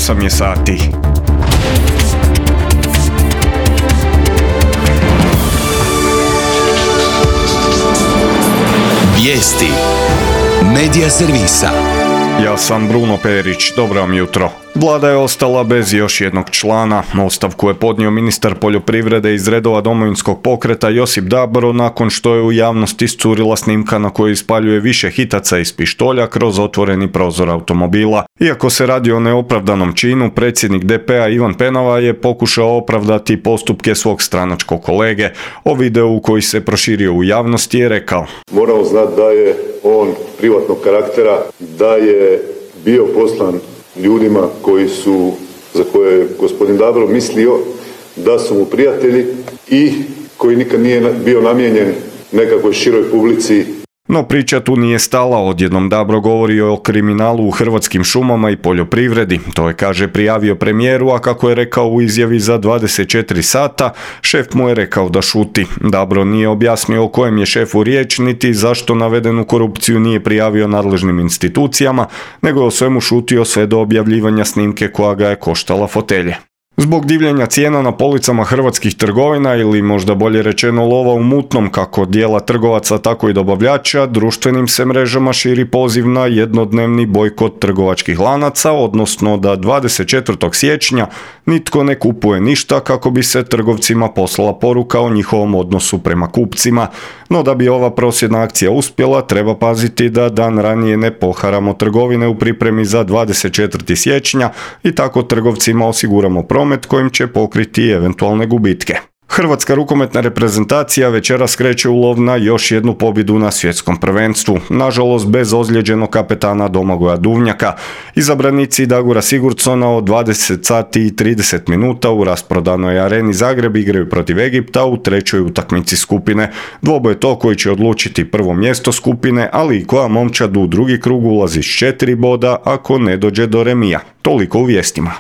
8 je sati. Vijesti Medija servisa. Ja sam Bruno Perić, dobro vam jutro. Vlada je ostala bez još jednog člana. Ostavku je podnio ministar poljoprivrede iz redova Domovinskog pokreta Josip Dabro nakon što je u javnost iscurila snimka na kojoj ispaljuje više hitaca iz pištolja kroz otvoreni prozor automobila. Iako se radi o neopravdanom činu, predsjednik DP-a Ivan Penava je pokušao opravdati postupke svog stranačkog kolege. O videu koji se proširio u javnosti je rekao: Moramo znati da je on privatnog karaktera, da je bio poslan ljudima za koje je gospodin Dabro mislio da su mu prijatelji i koji nikad nije bio namijenjen nekakvoj široj publici. No priča tu nije stala, odjednom Dabro govori o kriminalu u hrvatskim šumama i poljoprivredi. To je, kaže, prijavio premijeru, a kako je rekao u izjavi za 24 sata, šef mu je rekao da šuti. Dabro nije objasnio o kojem je šefu riječ, niti zašto navedenu korupciju nije prijavio nadležnim institucijama, nego je o svemu šutio sve do objavljivanja snimke koja ga je koštala fotelje. Zbog divljenja cijena na policama hrvatskih trgovina, ili možda bolje rečeno lova u mutnom kako dijela trgovaca tako i dobavljača, društvenim se mrežama širi poziv na jednodnevni bojkot trgovačkih lanaca, odnosno da 24. siječnja nitko ne kupuje ništa kako bi se trgovcima poslala poruka o njihovom odnosu prema kupcima. No da bi ova prosvjedna akcija uspjela, treba paziti da dan ranije ne poharamo trgovine u pripremi za 24. siječnja i tako trgovcima osiguramo promet kojim će pokriti eventualne gubitke. Hrvatska rukometna reprezentacija večeras kreće u lov na još jednu pobjedu na svjetskom prvenstvu, nažalost bez ozlijeđenog kapetana Domagoja Duvnjaka. Izabranici Dagora Sigurdsona od 20 sati i 30 minuta u rasprodanoj areni Zagreb igraju protiv Egipta u trećoj utakmici skupine. Dvoboj je to koji će odlučiti prvo mjesto skupine, ali i koja momčad u drugi krug ulazi s 4 boda ako ne dođe do remija. Toliko u vijestima.